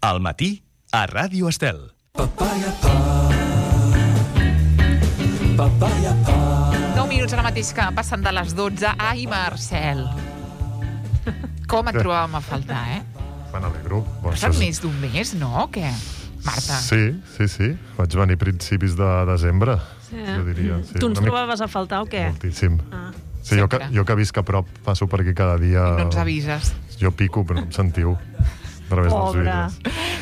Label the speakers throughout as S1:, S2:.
S1: Al matí, a Ràdio Estel.
S2: Papaya pa, papaya pa.
S3: 9 minuts ara mateix que passen de les 12. Ai, Marcel. Com et trobàvem a faltar,
S4: Me n'alegro.
S3: Passat més d'un mes, no? O què, Marta?
S4: Sí. Vaig venir a principis de desembre, jo diria. Sí,
S5: tu ens trobaves a faltar o què?
S4: Moltíssim. Sí, jo que visc a prop, passo per aquí cada dia.
S3: I no ens avises.
S4: Jo pico, però no em sentiu. A través dels vídeos.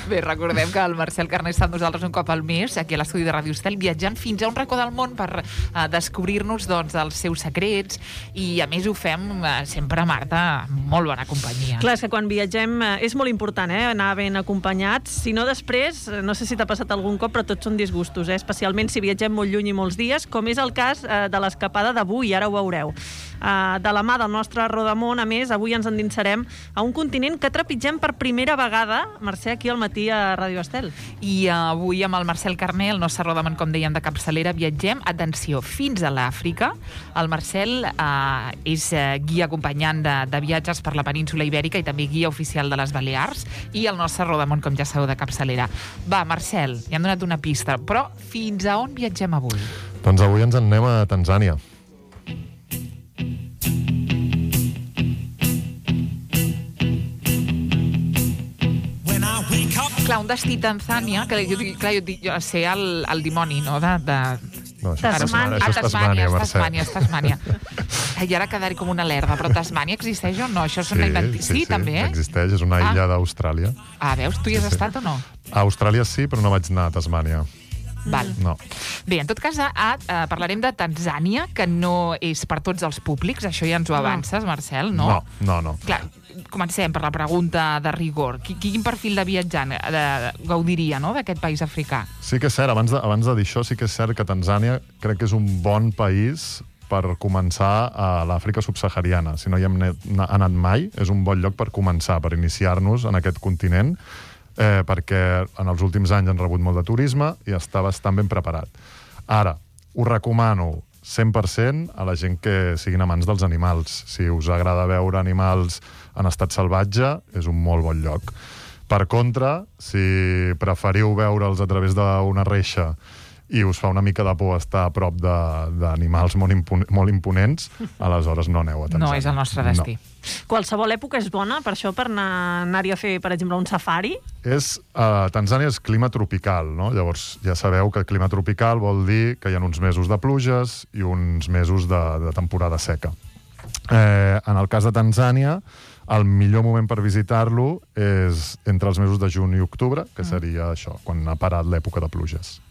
S3: Bé, recordem que el Marcel Carné està amb nosaltres un cop al mes, aquí a l'estudi de Ràdio Estel, viatjant fins a un racó del món per descobrir-nos doncs, els seus secrets, i a més ho fem sempre, Marta, molt bona companyia.
S5: Clar, és que quan viatgem és molt important, anar ben acompanyats. Si no, després, no sé si t'ha passat algun cop, però tots són disgustos, especialment si viatgem molt lluny i molts dies, com és el cas de l'escapada d'avui, ara ho veureu. De la mà del nostre rodamón, a més, avui ens endinsarem a un continent que trepitgem per primera vegada, Mercè, aquí al matí a Ràdio Estel.
S3: I avui amb el Marcel Carné, el nostre rodamón, com dèiem, de capçalera, viatgem, atenció, fins a l'Àfrica. El Marcel és guia acompanyant de viatges per la península Ibèrica i també guia oficial de les Balears, i el nostre rodamón, com ja sabeu, de capçalera. Va, Marcel, ja hem donat una pista, però fins a on viatgem avui?
S4: Doncs avui ens en anem a Tanzània.
S3: Clar, un destí Tanzània, que jo dic ser el dimoni, no?
S4: No,
S5: Tasmània.
S3: Tasmània. I ara quedaré com una lerda, però Tasmània existeix o no? Això sí, també,
S4: existeix, és una illa d'Austràlia.
S3: Veus, tu hi has estat o no?
S4: A Austràlia sí, però no vaig anar a Tasmània.
S3: Val.
S4: No.
S3: Bé, en tot cas, parlarem de Tanzània, que no és per tots els públics, això ja ens ho avances, Marcel, no?
S4: No.
S3: Clar, comencem per la pregunta de rigor. Quin perfil de viatjant gaudiria, no?, d'aquest país africà?
S4: Sí que és cert, abans de dir això, sí que és cert que Tanzània crec que és un bon país per començar a l'Àfrica subsahariana. Si no hi hem anat mai, és un bon lloc per començar, per iniciar-nos en aquest continent, perquè en els últims anys han rebut molt de turisme i està bastant ben preparat. Ara, ho recomano 100% a la gent que siguin amants dels animals. Si us agrada veure animals en estat salvatge, és un molt bon lloc. Per contra, si preferiu veure'ls a través d'una reixa i us fa una mica de por estar a prop d'animals molt imponents, aleshores no aneu a Tanzània.
S3: No és el nostre destí.
S5: No. Qualsevol època és bona per això, per anar-hi a fer, per exemple, un safari?
S4: Tanzània és clima tropical, no? Llavors ja sabeu que clima tropical vol dir que hi ha uns mesos de pluges i uns mesos de temporada seca. En el cas de Tanzània, el millor moment per visitar-lo és entre els mesos de juny i octubre, que seria això, quan ha parat l'època de pluges.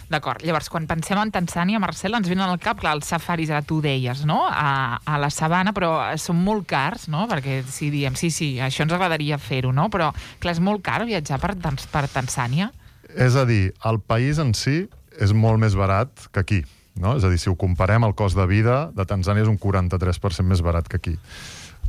S3: D'acord. Llavors, quan pensem en Tanzània, Marcel, ens venen al cap, clar, els safaris, ara tu deies, no?, a la sabana, però són molt cars, no?, perquè si diem, sí, això ens agradaria fer-ho, no?, però, clar, és molt car viatjar per Tanzània?
S4: És a dir, el país en si és molt més barat que aquí, no? És a dir, si ho comparem, el cost de vida de Tanzània és un 43% més barat que aquí.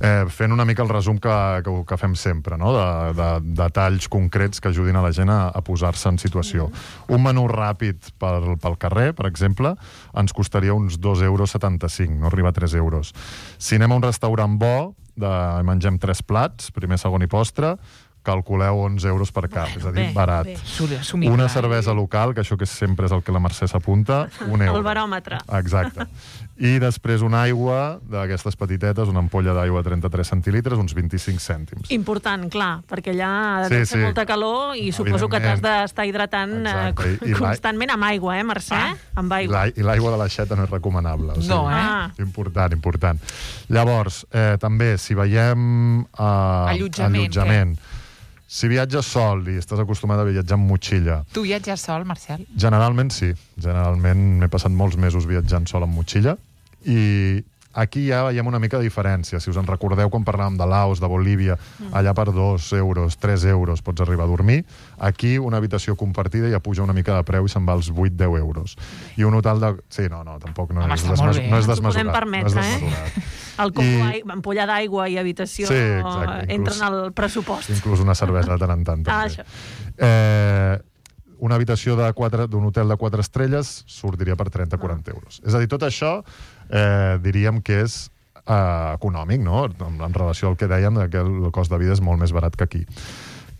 S4: Fent una mica el resum que fem sempre, no?, de detalls concrets que ajudin a la gent a posar-se en situació. Un menú ràpid pel carrer, per exemple, ens costaria uns 2,75 €, no arriba a 3 €. Si anem a un restaurant bo, mengem 3 plats, primer, segon i postre, calculeu 11 € per cap, és a dir, barat. Una cervesa local, que això que sempre és el que la Mercè s'apunta, €1.
S5: El baròmetre.
S4: Exacte. I després una aigua d'aquestes petitetes, una ampolla d'aigua de 33 centilitres, uns 25 cèntims.
S5: Important, clar, perquè allà ha de fer molta calor i suposo que t'has d'estar hidratant constantment amb aigua, Mercè? Amb aigua.
S4: I l'aigua de l'aixeta no és recomanable.
S3: No,
S4: Important. Llavors, també, si veiem allotjament, si viatges sol i estàs acostumat a viatjar amb motxilla...
S3: Tu viatges sol, Marcel?
S4: Generalment sí. Generalment m'he passat molts mesos viatjant sol amb motxilla i aquí ja veiem una mica de diferència. Si us en recordeu quan parlàvem de Laos, de Bolívia, allà per 2 €, 3 € pots arribar a dormir. Aquí una habitació compartida ja puja una mica de preu i se'n va als 8-10 €. I un hotel de... Sí, tampoc no és desmesurat.
S5: No ens ho podem permetre, El combo ampolla d'aigua i habitació entren al pressupost.
S4: Inclús una cervesa de tant en tant.
S5: Això.
S4: Una habitació d'un hotel de 4 estrelles sortiria per 30-40 €. És a dir, tot això diríem que és econòmic, no?, en relació al que dèiem, que el cost de vida és molt més barat que aquí.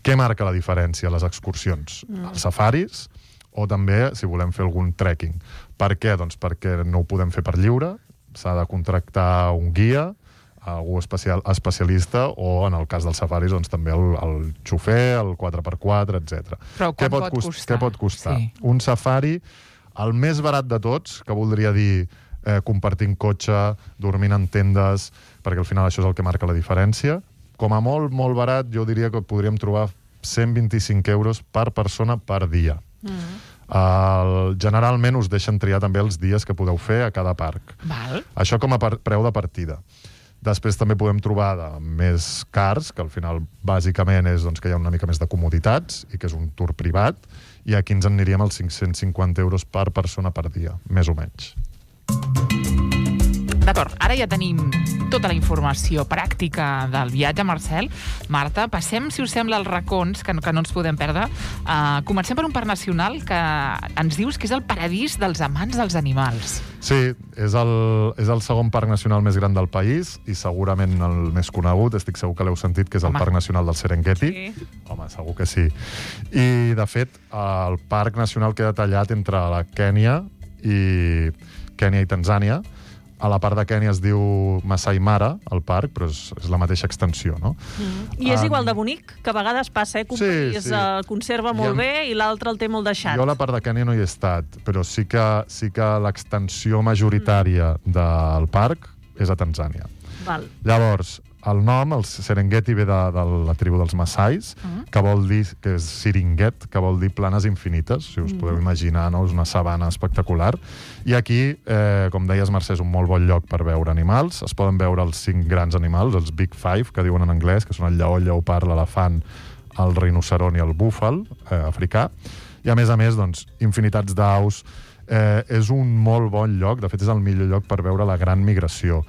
S4: Què marca la diferència? Les excursions. Els safaris, o també si volem fer algun trekking. Per què? Doncs perquè no ho podem fer per lliure, s'ha de contractar un guia, algú especialista, o en el cas dels safaris doncs, també el xofer, el 4x4, etc.
S3: Però què pot costar?
S4: Què pot costar?
S3: Sí.
S4: Un safari, el més barat de tots, que voldria dir compartint cotxe, dormint en tendes, perquè al final això és el que marca la diferència. Com a molt, molt barat, jo diria que podríem trobar 125 euros per persona per dia. Generalment us deixen triar també els dies que podeu fer a cada parc.
S3: Val.
S4: Això com a preu de partida. Després també podem trobar de més cars, que al final bàsicament és doncs, que hi ha una mica més de comoditats i que és un tour privat, i aquí ens en aniríem als 550 euros per persona per dia, més o menys.
S3: D'acord, ara ja tenim tota la informació pràctica del viatge, Marcel. Marta, passem, si us sembla, als racons, que no ens podem perdre. Comencem per un parc nacional que ens dius que és el paradís dels amants dels animals.
S4: Sí, és el segon parc nacional més gran del país i segurament el més conegut, estic segur que l'heu sentit, que és el Parc Nacional del Serengeti.
S5: Sí.
S4: Home, segur que sí. I, de fet, el parc nacional queda tallat entre la Kènia i Tanzània. A la part de Kènia es diu Masai Mara, el parc, però és la mateixa extensió, no?
S5: I és igual de bonic, que a vegades passa, que un país conserva molt bé i l'altre el té molt deixat.
S4: Jo a la part de Kènia no hi he estat, però sí que l'extensió majoritària del parc és a Tanzània.
S5: Val.
S4: Llavors, el nom, el Serengeti, ve de la tribu dels Massais, que vol dir, que és Siringet, que vol dir planes infinites, si us podeu imaginar, no? És una sabana espectacular. I aquí, com deies, Mercè, és un molt bon lloc per veure animals. Es poden veure els 5 grans animals, els Big Five, que diuen en anglès, que són el lleó, el lleopard, l'elefant, el rinoceront i el búfal africà. I a més, doncs, infinitats d'aus. És un molt bon lloc, de fet és el millor lloc per veure la gran migració.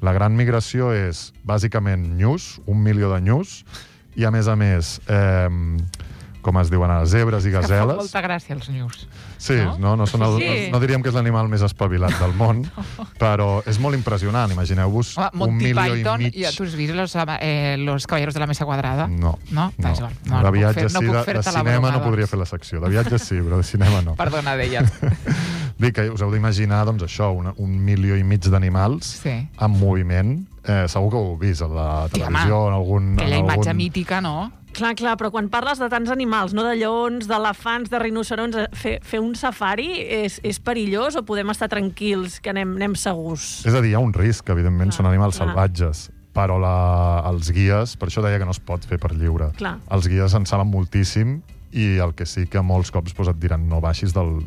S4: La gran migració és, bàsicament, nyus, 1 milió de nyus, i a més, com es diuen ara, zebres i
S3: Que
S4: gazeles.
S3: fa molta gràcia, els nyus.
S4: Sí, no diríem que és l'animal més espavilat del món, però és molt impressionant. Imagineu-vos un milió i mig...
S3: Ja tu has vist los caballeros de la mesa quadrada?
S4: No.
S3: No
S4: De viatges sí, de
S3: cinema
S4: cinema no podria fer la secció. De viatges sí, però de cinema no.
S3: Perdona, deies.
S4: Dic que us heu d'imaginar, doncs, això, 1 milió i mig d'animals en moviment. Segur que ho heu vist a la televisió, en algun...
S3: Aquella imatge mítica, no?
S5: Clar, però quan parles de tants animals, no de lleons, d'elefants, de rinocerons, fer un safari és perillós o podem estar tranquils, que anem segurs?
S4: És a dir, hi ha un risc, evidentment, són animals salvatges, però els guies, per això deia que no es pot fer per lliure.
S5: Clar.
S4: Els guies en saben moltíssim i el que sí que molts cops et diran no baixis del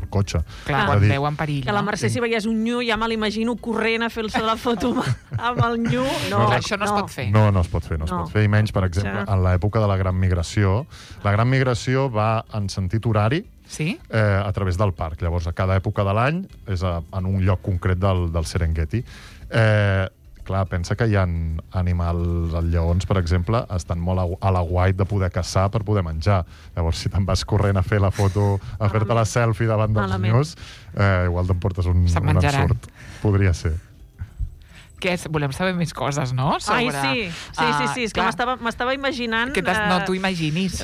S4: cotxe.
S3: Clar, quan veuen perill.
S5: Que la Mercè, si veiés un nyu, ja me l'imagino corrent a fer-se la foto amb el nyu.
S3: No, això no es pot fer.
S4: No es pot fer, es pot fer. I menys, per exemple, en l'època de la Gran Migració. La Gran Migració va en sentit horari a través del parc. Llavors, a cada època de l'any és en un lloc concret del Serengeti. Clar, pensa que hi ha animals, els lleons, per exemple, estan molt a l'aguait de poder caçar per poder menjar. Llavors, si te'n vas corrent a fer la foto, a fer-te la selfie davant dels nyus, igual te'n un ensurt. Podria ser.
S3: Volem saber més coses, no?
S5: Ai, sí, és que m'estava imaginant...
S3: No t'ho imaginis,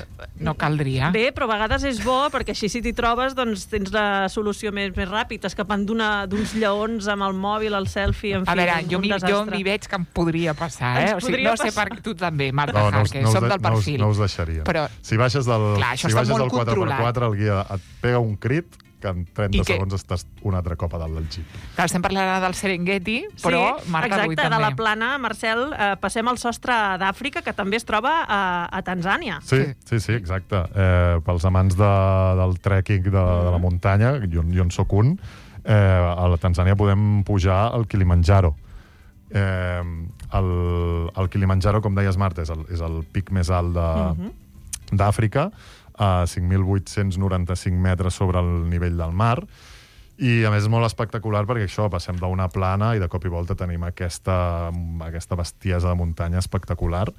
S3: no caldria.
S5: Bé, però a vegades és bo, perquè així si t'hi trobes, doncs tens la solució més ràpid, escapant d'uns lleons amb el mòbil, el selfie, en fi,
S3: un desastre. Jo m'hi veig que em podria passar, no sé per tu també, Marta Jarque, som del perfil.
S4: No us deixaria. Si baixes del 4x4, el guia et pega un crit, que en 30 segons estàs un altre cop a dalt del jeep.
S3: Clar, estem parlant del Serengeti, però Marta avui també.
S5: Exacte, de la plana, Marcel, passem al sostre d'Àfrica, que també es troba a Tanzània.
S4: Sí, exacte. Pels amants del trekking de la muntanya, jo en soc un, a la Tanzània podem pujar al Kilimanjaro. El Kilimanjaro, com deies, Marta, és el pic més alt d'Àfrica, a 5.895 metres sobre el nivell del mar, i a més és molt espectacular perquè això, passem d'una plana i de cop i volta tenim aquesta bestiesa de muntanya espectacular,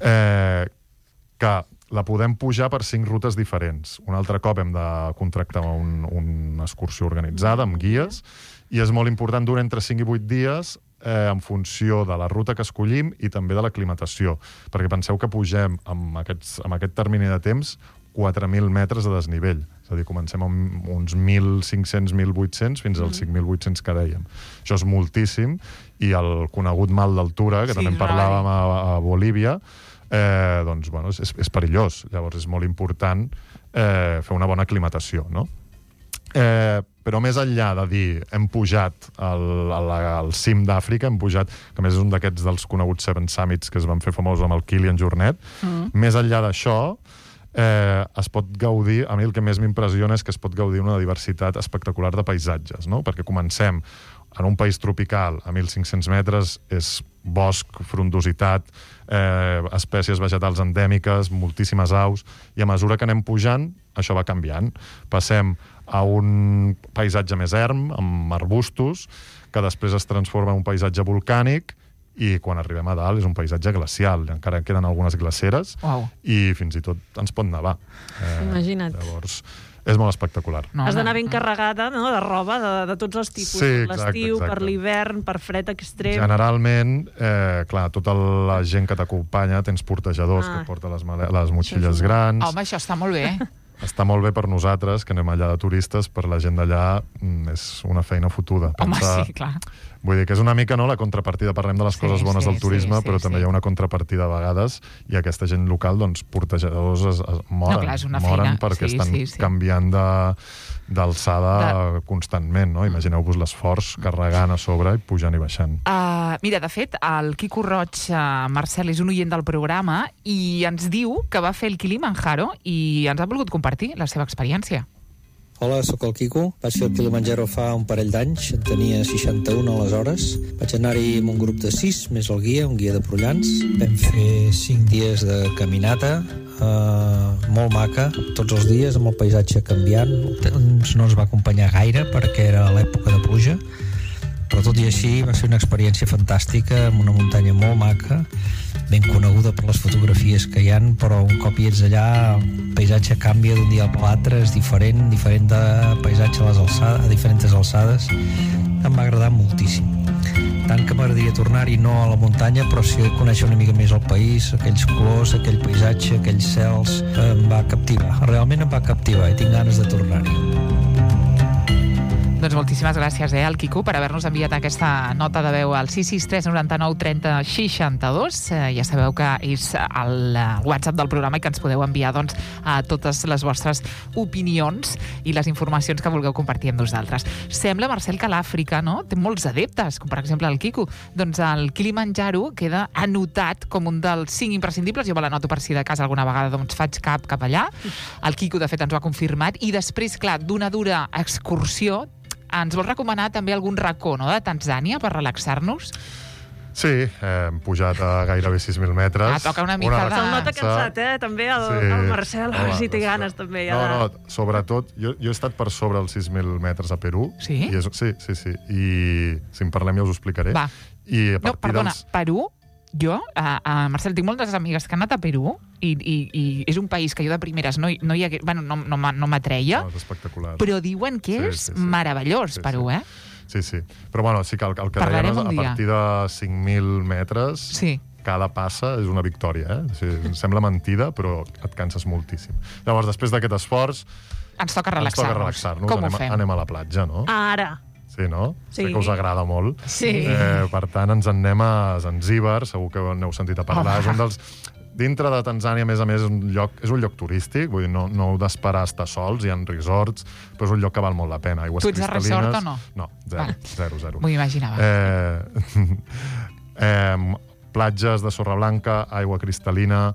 S4: que la podem pujar per 5 rutes diferents. Un altre cop hem de contractar una excursió organitzada amb guies, i és molt important, durar entre 5 i 8 dies en funció de la ruta que escollim i també de l'aclimatació. Perquè penseu que pugem amb aquest termini de temps 4.000 metres de desnivell. És a dir, comencem amb uns 1.500, 1.800 fins als 5.800 que dèiem. Això és moltíssim, i el conegut mal d'altura, que també en parlàvem a Bolívia, doncs, bueno, és perillós. Llavors és molt important fer una bona aclimatació, no? Però més enllà de dir hem pujat al cim d'Àfrica, hem pujat, que a més és un d'aquests dels coneguts Seven Summits que es van fer famosos amb el Kilian Jornet, més enllà d'això, es pot gaudir, a mi el que més m'impressiona és que es pot gaudir una diversitat espectacular de paisatges, no? Perquè comencem en un país tropical a 1.500 metres, és bosc, frondositat, espècies vegetals endèmiques, moltíssimes aus, i a mesura que anem pujant, això va canviant. Passem a un paisatge més erm, amb arbustos, que després es transforma en un paisatge volcànic, i quan arribem a dalt és un paisatge glacial. Encara queden algunes glaceres i fins i tot ens pot nevar.
S5: Imagina't.
S4: Llavors, és molt espectacular.
S5: Has d'anar ben carregada, no?, de roba de tots els tipus.
S4: Sí,
S5: per l'estiu, per l'hivern, per fred extrem.
S4: Generalment, clar, tota la gent que t'acompanya tens portejadors que porten les motxilles grans.
S3: Home, això està molt bé.
S4: Està molt bé per nosaltres, que anem allà de turistes, per la gent d'allà és una feina fotuda.
S3: Home, sí, clar.
S4: Vull dir que és una mica, no?, la contrapartida. Parlem de les coses bones del turisme, però també hi ha una contrapartida a vegades, i aquesta gent local, doncs, portejadors es moren perquè estan canviant d'alçada constantment, no? Imagineu-vos l'esforç carregant a sobre i pujant i baixant.
S3: Mira, de fet, el Quico Roig, Marcel, és un oient del programa i ens diu que va fer el Kilimanjaro i ens ha volgut compartir la seva experiència.
S6: Hola, sóc el Quico. Vaig fer el Kilimanjaro fa un parell d'anys. En tenia 61 aleshores. Vaig anar-hi amb un grup de 6, més el guia, un guia de Prullans. Vam fer 5 dies de caminata, molt maca, tots els dies, amb el paisatge canviant. No ens va acompanyar gaire perquè era l'època de pluja, però tot i així va ser una experiència fantàstica, amb una muntanya molt maca, ben coneguda per les fotografies que hi ha, però un cop hi ets allà el paisatge canvia d'un dia a l'altre, és diferent de paisatge a diferents alçades. Em va agradar moltíssim. Tant que m'agradaria tornar-hi, no a la muntanya, però sí conèixer una mica més el país, aquells colors, aquell paisatge, aquells cels, em va captivar. Realment em va captivar i tinc ganes de tornar-hi.
S3: Doncs moltíssimes gràcies, al Quico, per haver-nos enviat aquesta nota de veu al 663 99 30 62. Ja sabeu que és el WhatsApp del programa i que ens podeu enviar, doncs, a totes les vostres opinions i les informacions que vulgueu compartir amb nosaltres. Sembla, Marcel, que l'Àfrica, no?, té molts adeptes, com per exemple el Quico. Doncs el Kilimanjaro queda anotat com un dels 5 imprescindibles. Jo me l'anoto per si de cas alguna vegada doncs faig cap allà. El Quico, de fet, ens ho ha confirmat. I després, clar, d'una dura excursió, ens vols recomanar també algun racó, no?, de Tanzània per relaxar-nos?
S4: Sí, hem pujat a gairebé 6.000 metres.
S3: Toca una mica de...
S5: Se'l nota cansat, també, el Marcel, a veure si té ganes, també.
S4: No, sobretot, jo he estat per sobre els 6.000 metres a Perú.
S3: Sí?
S4: Sí. I si en parlem ja us ho explicaré.
S3: Va. No, perdona, Perú? Jo, Marcel, tinc moltes amigues que han anat a Perú i és un país que jo de primeres no m'atreia,
S4: és espectacular.
S3: Però diuen que és meravellós, Perú,
S4: Sí. Però bueno, sí que el que dèiem, a partir de 5.000 metres, cada passa és una victòria, sembla mentida, però et canses moltíssim. Llavors, després d'aquest esforç,
S3: ens toca relaxar-nos. Com ho fem?
S4: Anem a la platja, no?
S5: Ara.
S4: Sí, no?
S5: Sí.
S4: Sé que us agrada molt.
S5: Sí.
S4: Per tant, ens en anem a Zanzíbar, segur que n'heu sentit a parlar. És un dels... Dintre de Tanzània, a més, és un lloc turístic, vull dir, no heu d'esperar a estar sols, hi ha resorts, però és un lloc que val molt la pena. Aigües cristal·lines...
S3: Tu ets de resort o no?
S4: No, zero.
S3: M'ho imaginava.
S4: Platges de sorra blanca, aigua cristal·lina,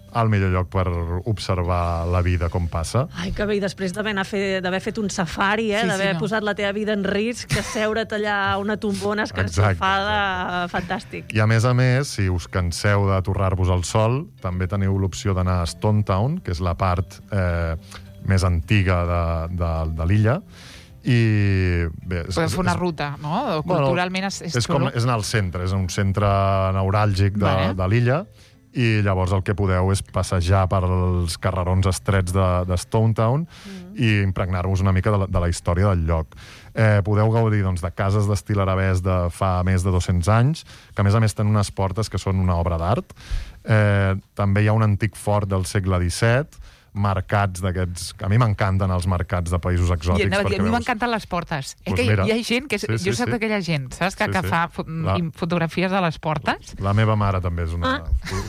S4: el millor lloc per observar la vida com passa.
S5: Ai, que bé, i després d'haver fet un safari, d'haver posat la teva vida en risc, de seure't allà a una tombona escarxofada, fantàstic.
S4: I a més, si us canseu de torrar-vos al sol, també teniu l'opció d'anar a Stone Town, que és la part més antiga de l'illa, i bé...
S3: Podem fer una ruta, no? Culturalment és xulo.
S4: És anar al centre, és un centre neuràlgic de l'illa, i llavors el que podeu és passejar per els carrerons estrets de Stone Town i impregnar-vos una mica de la història del lloc. Podeu gaudir doncs, de cases d'estil arabès de fa més de 200 anys, que a més tenen unes portes que són una obra d'art. També hi ha un antic fort del segle XVII, mercats d'aquests... A mi m'encanten els mercats de països exòtics.
S3: A mi m'encanten les portes.
S4: Pues
S3: que
S4: mira,
S3: hi ha gent que... Jo soc d'aquella gent, saps? Que fa fotografies de les portes.
S4: La meva mare també és una...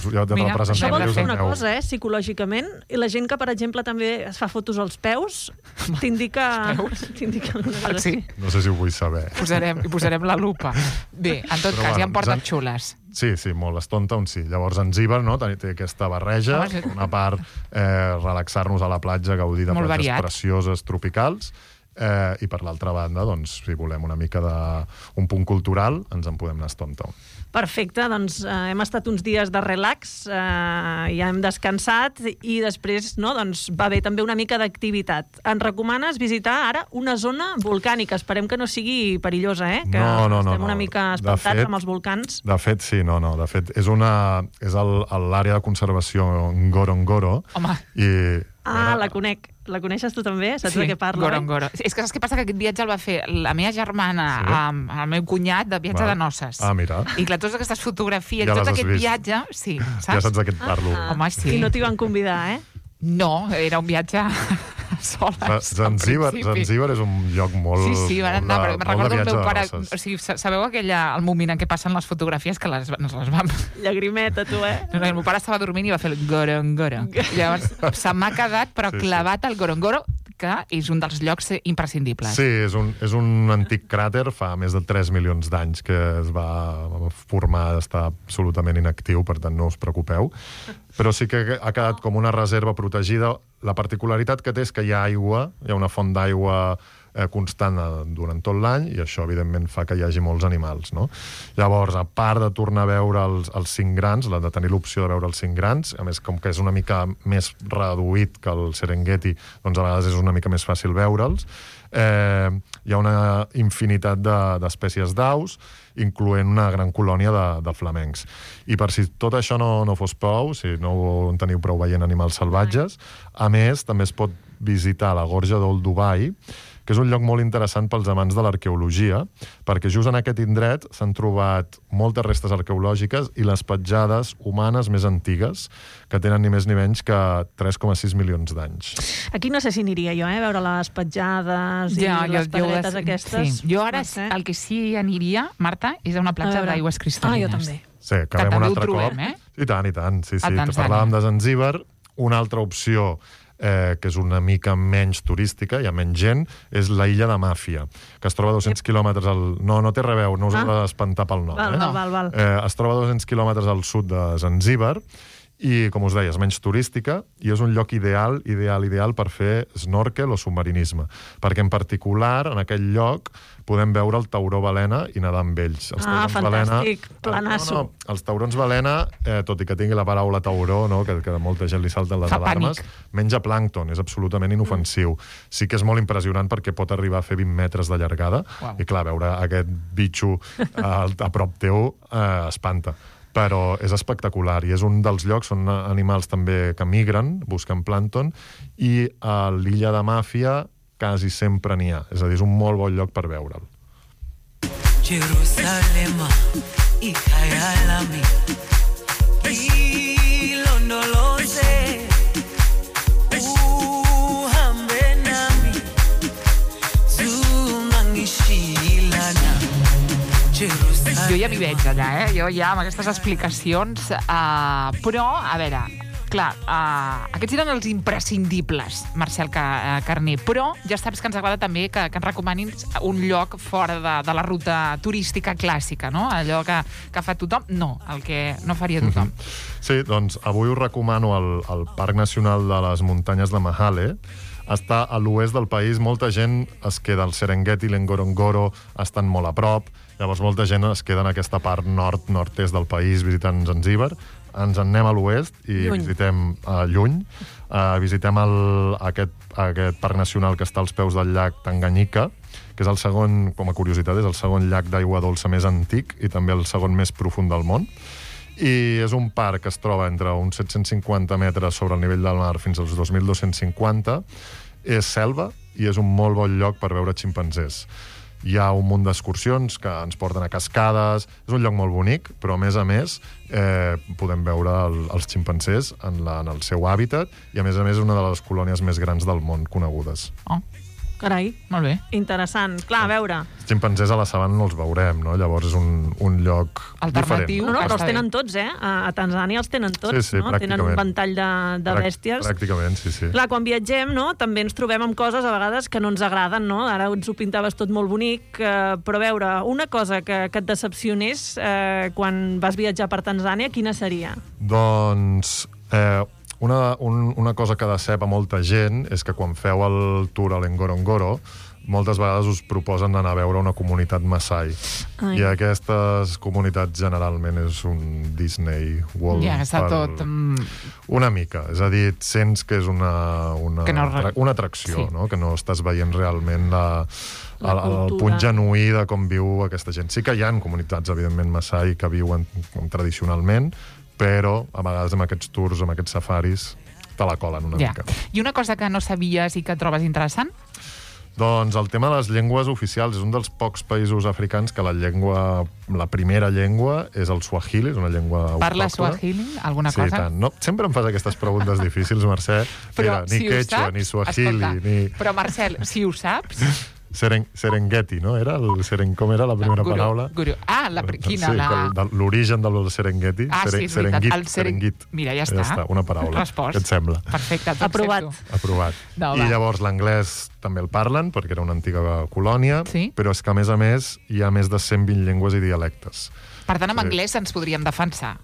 S5: Mira, això vol dir una cosa, psicològicament. I la gent que, per exemple, també es fa fotos als peus, t'indica alguna cosa.
S3: Sí.
S4: No sé si ho vull saber.
S3: Posarem la lupa. Bé, en tot cas, hi ha portes xules.
S4: Sí, molt. Stone Town sí. Llavors, Zanzíbar, no? Té aquesta barreja, una part relaxar-nos a la platja, gaudir de platges precioses, tropicals, i per l'altra banda, doncs, si volem una mica d'un punt cultural, ens en podem anar a Stone Town.
S5: Perfecte, doncs hem estat uns dies de relax, ja hem descansat i després doncs, va haver també una mica d'activitat. Ens recomanes visitar ara una zona volcànica. Esperem que no sigui perillosa, que estem una mica espantats amb els volcans.
S4: De fet, sí, De fet, és l'àrea de conservació Ngorongoro.
S3: Home.
S5: La conec. La coneixes tu també? Saps de què parla?
S3: Ngorongoro. És que saps què passa? Que aquest viatge el va fer la meva germana amb el meu cunyat de viatge de noces.
S4: Mira.
S3: I clar, totes aquestes fotografies, tot aquest viatge... Sí, saps?
S4: Ja saps de què et parlo.
S3: Home, sí.
S5: I no t'hi van convidar,
S3: No, era un viatge soles.
S4: Zanzíbar és un lloc molt...
S3: Sí, van anar, però me'n recordo el meu pare... O sigui, sabeu el moment en què passen les fotografies que les vam...
S5: Llagrimeta, tu,
S3: No, el meu pare estava dormint i va fer el Ngorongoro. Llavors, se m'ha quedat, però clavat al Ngorongoro, que és un dels llocs imprescindibles.
S4: Sí, és un antic cràter, fa més de 3 milions d'anys que es va formar, està absolutament inactiu, per tant no us preocupeu. Però sí que ha quedat com una reserva protegida. La particularitat que té és que hi ha aigua, hi ha una font d'aigua constant durant tot l'any, i això, evidentment, fa que hi hagi molts animals, no? Llavors, a part de tornar a veure els 5 grans, de tenir l'opció de veure els 5 grans, a més, com que és una mica més reduït que el Serengeti, doncs a vegades és una mica més fàcil veure'ls. Hi ha una infinitat d'espècies d'aus, incloent una gran colònia de flamencs. I per si tot això no fos prou, si no en teniu prou veient animals salvatges, a més, també es pot visitar la Gorja d'Old Dubai, que és un lloc molt interessant pels amants de l'arqueologia, perquè just en aquest indret s'han trobat moltes restes arqueològiques i les petjades humanes més antigues, que tenen ni més ni menys que 3,6 milions d'anys.
S5: Aquí no sé si aniria jo, veure les petjades i les pedretes aquestes.
S3: Sí. Jo ara el que sí aniria, Marta, és a una platja d'aigües cristal·lines.
S5: Jo també.
S4: Sí, que
S3: també
S4: un
S3: ho trobem,
S4: I tant. Sí. Parlàvem de Zanzíbar. Una altra opció que és una mica menys turística, hi ha menys gent, és la illa de Màfia, que es troba a 200 quilòmetres No té res a veure, no us heu d'espantar pel nom.
S5: Val.
S4: Es troba a 200 quilòmetres al sud de Zanzíbar, i, com us deia, és menys turística i és un lloc ideal per fer snorkel o submarinisme, perquè en particular en aquell lloc podem veure el tauró balena i nedar amb ells.
S5: Fantàstic, planasso.
S4: Els taurons balena, tot i que tingui la paraula tauró, que molta gent li salten les alarmes, menja plàncton, és absolutament inofensiu. Sí que és molt impressionant perquè pot arribar a fer 20 metres de llargada, i clar, veure aquest bitxo a prop teu espanta. Però és espectacular i és un dels llocs on animals també que migren, busquen plàncton, i a l'illa de Màfia quasi sempre n'hi ha. És a dir, és un molt bon lloc per veure'l.
S7: Jerusalema, ikayalami, ilondoloze, uhambe nami, zungangishilana.
S3: Jo ja m'hi veig allà, Jo ja amb aquestes explicacions. Però, a veure, clar, aquests eren els imprescindibles, Marcel Carner, però ja saps que ens agrada també que ens recomanin un lloc fora de la ruta turística clàssica, no? Allò que fa tothom, el que no faria tothom.
S4: Sí, doncs avui us recomano el Parc Nacional de les Muntanyes de Mahale. Està a l'oest del país, molta gent es queda al Serengeti i l'Ngorongoro, estan molt a prop, llavors molta gent es queda en aquesta part nord-nord-est del país visitant Zanzíbar. Ens en anem a l'oest i visitem lluny. Visitem aquest parc nacional que està als peus del llac Tanganyika, que és el segon, com a curiositat, és el segon llac d'aigua dolça més antic i també el segon més profund del món. I és un parc que es troba entre uns 750 metres sobre el nivell del mar fins als 2.250. És selva i és un molt bon lloc per veure ximpanzés. Hi ha un munt d'excursions que ens porten a cascades. És un lloc molt bonic, però a més podem veure els ximpanzés en el seu hàbitat i a més és una de les colònies més grans del món conegudes.
S3: Oh,
S5: Carai,
S3: molt bé.
S5: interessant. Clar, a veure...
S4: Els ximpanzés a la sabana no els veurem, no? Llavors és un lloc
S3: Alternatiu.
S4: diferent.
S5: No, però
S3: Està
S5: els tenen
S3: bé.
S5: tots, A Tanzània els tenen tots,
S4: Sí,
S5: no? Tenen un
S4: pràcticament.
S5: ventall de bèsties.
S4: Pràcticament, sí.
S5: Clar, quan viatgem, no?, també ens trobem amb coses a vegades que no ens agraden, no? Ara ens ho pintaves tot molt bonic, però a veure, una cosa que et decepcionés quan vas viatjar per Tanzània, quina seria?
S4: Doncs una cosa que decep a molta gent és que quan feu el tour a l'Engorongoro moltes vegades us proposen anar a veure una comunitat Maasai.
S5: Ai.
S4: I aquestes comunitats generalment és un Disney World.
S3: Ja, està tot...
S4: Una mica. És a dir, sents que és una atracció,
S3: Sí.
S4: no? Que no estàs veient realment el
S5: cultura.
S4: punt genuí de com viu aquesta gent. Sí que hi ha comunitats, evidentment, Maasai que viuen tradicionalment, però a vegades amb aquests tours, amb aquests safaris, te la colen una mica.
S3: I una cosa que no sabies i que trobes interessant?
S4: Doncs el tema de les llengües oficials és un dels pocs països africans que la primera llengua és el suahili, és una llengua
S3: Parla
S4: autòctona.
S3: suahili? Alguna
S4: Sí,
S3: cosa?
S4: tant. No, sempre em fas aquestes preguntes difícils, Mercè.
S3: Però
S4: Mira,
S3: si
S4: ni
S3: ho
S4: quechua,
S3: saps,
S4: ni suahili,
S3: escolta,
S4: ni...
S3: Però, Marcel, si ho saps...
S4: Serengeti, no? Com era la primera paraula?
S3: Guru. Ah, quina?
S4: L'origen del Serengeti.
S3: Sí, és veritat.
S4: Serengit.
S3: Mira, ja està.
S4: Ja està, una paraula.
S3: Respost.
S4: Què et sembla?
S3: Perfecte,
S5: Aprovat.
S4: Aprovat.
S3: No,
S4: I
S3: va.
S4: llavors l'anglès també el parlen, perquè era una antiga colònia,
S3: Sí.
S4: però és que, a més, hi ha més de 120 llengües i dialectes.
S3: Per tant, amb
S4: Sí.
S3: anglès ens podríem defensar.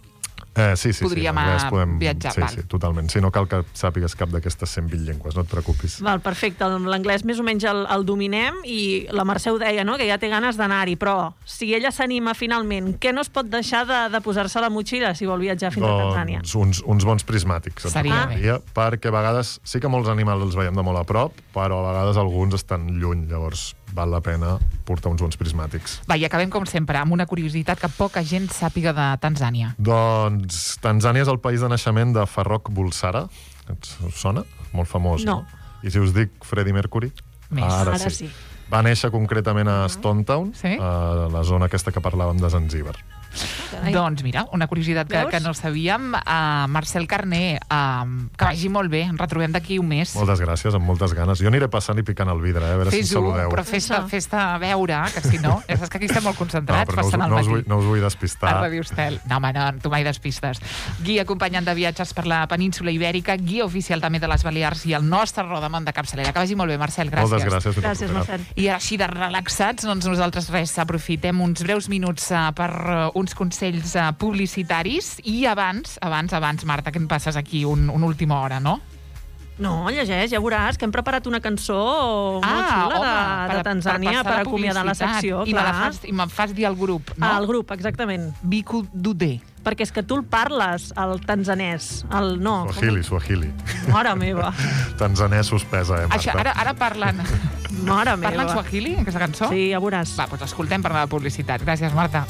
S4: Sí.
S3: Podríem
S4: anglès
S3: viatjar,
S4: Sí,
S3: val.
S4: sí, totalment. Sí, no cal que sàpigues cap d'aquestes 120 llengües, no et preocupis.
S5: Val, perfecte, l'anglès més o menys el dominem i la Mercè ho deia, no?, que ja té ganes d'anar-hi, però si ella s'anima finalment, què no es pot deixar de posar-se a la motxilla si vol viatjar fins a Tanzània?
S4: Doncs uns bons prismàtics. et
S3: Seria
S4: recomanaria, perquè a vegades sí que molts animals els veiem de molt a prop, però a vegades alguns estan lluny, llavors val la pena portar uns bons prismàtics.
S3: Va, i acabem, com sempre, amb una curiositat que poca gent sàpiga de Tanzània.
S4: Doncs Tanzània és el país de naixement de Farrokh Bulsara. Us sona? Molt famós,
S5: No.
S4: I si us dic Freddie Mercury?
S3: Més.
S5: Ara sí.
S4: Va néixer concretament a Stone Town,
S3: Sí.
S4: a la zona aquesta que parlàvem de Zanzíbar.
S5: Carai.
S3: Doncs mira, una curiositat
S5: Veus?
S3: que no sabíem. Marcel Carné, que vagi molt bé. Ens retrobem d'aquí un mes.
S4: Moltes gràcies, amb moltes ganes. Jo aniré passant i picant el vidre, a veure si em
S3: Fes-ho,
S4: saludeu.
S3: però fes-te veure, que si no... Ja saps que aquí estem molt
S4: No,
S3: concentrats,
S4: però
S3: passant al matí.
S4: no us vull
S3: A
S4: despistar.
S3: Ràdio Estel. No, home, no, tu mai despistes. Guia acompanyant de viatges per la península Ibèrica, guia oficial també de les Balears i el nostre rodamont de capçalera. Que vagi molt bé, Marcel, gràcies.
S4: Moltes gràcies. Fins
S5: Gràcies,
S4: la propera.
S5: Marcel.
S3: I ara així de relaxats, doncs nosaltres res, aprofitem uns breus minuts per uns consells publicitaris i abans, Marta, que em passes aquí una última hora, no?
S5: No, llegeix, ja veuràs que hem preparat una cançó molt xula de Tanzània per acomiadar la secció.
S3: I me'n fas dir al grup, no?
S5: Al grup, exactament.
S3: Biku Dudé.
S5: Perquè és que tu el parles, el tanzanès.
S4: Suahili.
S5: Mare meva.
S4: Tanzanès suspesa, Marta?
S3: Això, ara parlen...
S5: Mare meva.
S3: Parlen suahili, aquesta cançó?
S5: Sí, ja veuràs.
S3: Va, doncs escoltem per la publicitat. Gràcies, Marta.